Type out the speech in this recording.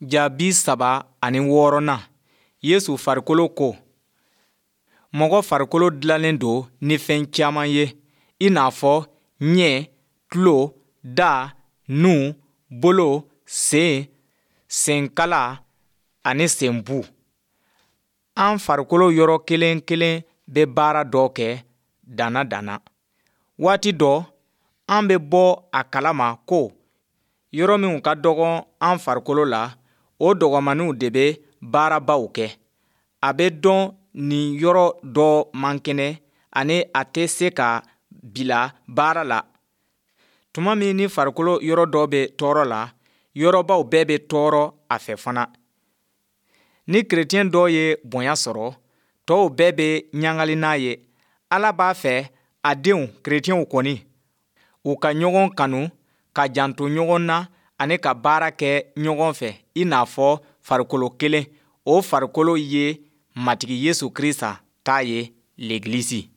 Ja 36nan, Yesu farikolo ko. Mɔgɔ farikolo dilannen don ni fɛn caman ye, i n'a fɔ ɲɛ, tulo, da, nun, bolo, sen, senkala ani senbu. An farikolo yɔrɔ kelen kelen bɛ baara dɔ kɛ danna danna. Waati dɔ, an bɛ bɔ a kalama ko yɔrɔ minw ka dɔgɔ an farikolo la, o dɔgɔmanninw de bɛ baarabaw kɛ. A bɛ dɔn nin yɔrɔ dɔ man kɛnɛ ani a tɛ se ka bila baara la. Tuma min ni farikolo yɔrɔ dɔ bɛ tɔɔrɔ la, yɔrɔbaw bɛɛ bɛ tɔɔrɔ a fɛ fana. Ni kerecɛn dɔ ye bonya sɔrɔ, tɔw bɛɛ bɛ ɲagali n'a ye. Ala b'a fɛ a denw kerecɛnw kɔni, u ka ɲɔgɔn kanu, ka janto ɲɔgɔn na ani ka baara kɛ ɲɔgɔn fɛ i n'a fɔ farikolo kelen. O farikolo ye Matigi Yesu Krista ta ye, Legilisi.